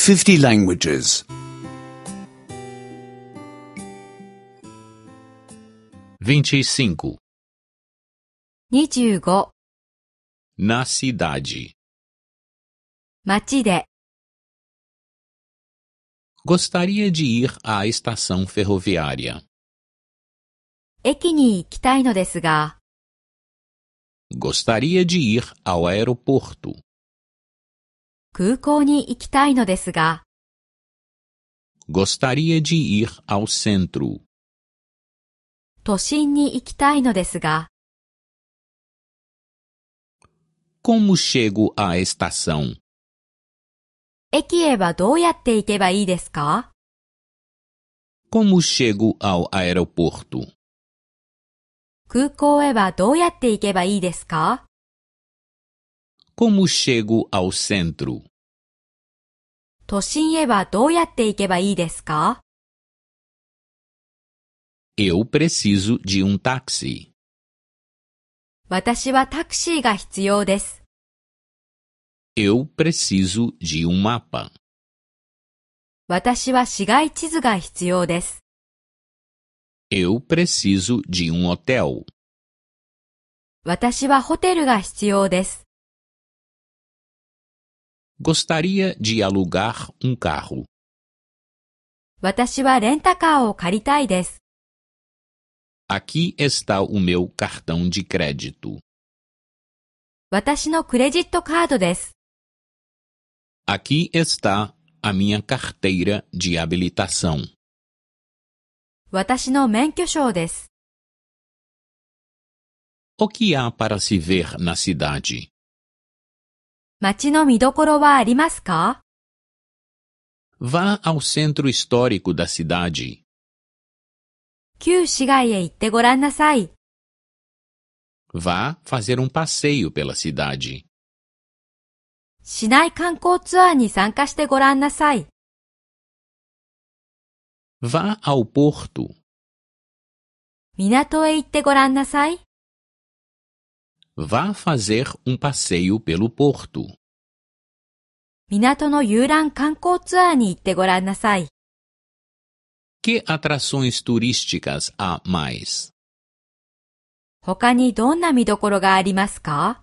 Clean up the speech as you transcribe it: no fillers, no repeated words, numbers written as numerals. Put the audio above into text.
50 languages. 25. 25. Na cidade. 街で。Gostaria de ir à estação ferroviária. 駅に行きたいのですが、Gostaria de ir ao aeroporto. 空港に行きたいのですが、Gostaria de ir ao centro. 都心に行きたいのですが、Como chego à estação? 駅へはどうやって行けばいいですか？ Como chego ao aeroporto? 空港へはどうやって行けばいいですか？ Como chego ao centro? 都心へはどうやって行けばいいですか？ Eu preciso de um táxi. 私はタクシーが必要です。Eu preciso de um mapa. 私は市街地図が必要です。Eu preciso de um hotel. 私はホテルが必要です。Gostaria de alugar um carro. 私はレンタカーを借りたいです。Aqui está o meu cartão de crédito. 私のクレジットカードです。Aqui está a minha carteira de habilitação. 私の免許証です。O que há para se ver na cidade? 街の見どころはありますか？ Vá ao centro histórico da cidade. 旧市街へ行ってごらんなさい。Vá fazer um passeio pela cidade. 市内観光ツアーに参加してごらんなさい。Vá ao porto. 港へ行ってごらんなさい。Vá fazer um passeio pelo porto. 港の遊覧観光ツアーに行ってごらんなさい。Que atrações turísticas há mais? 他にどんな見どころがありますか？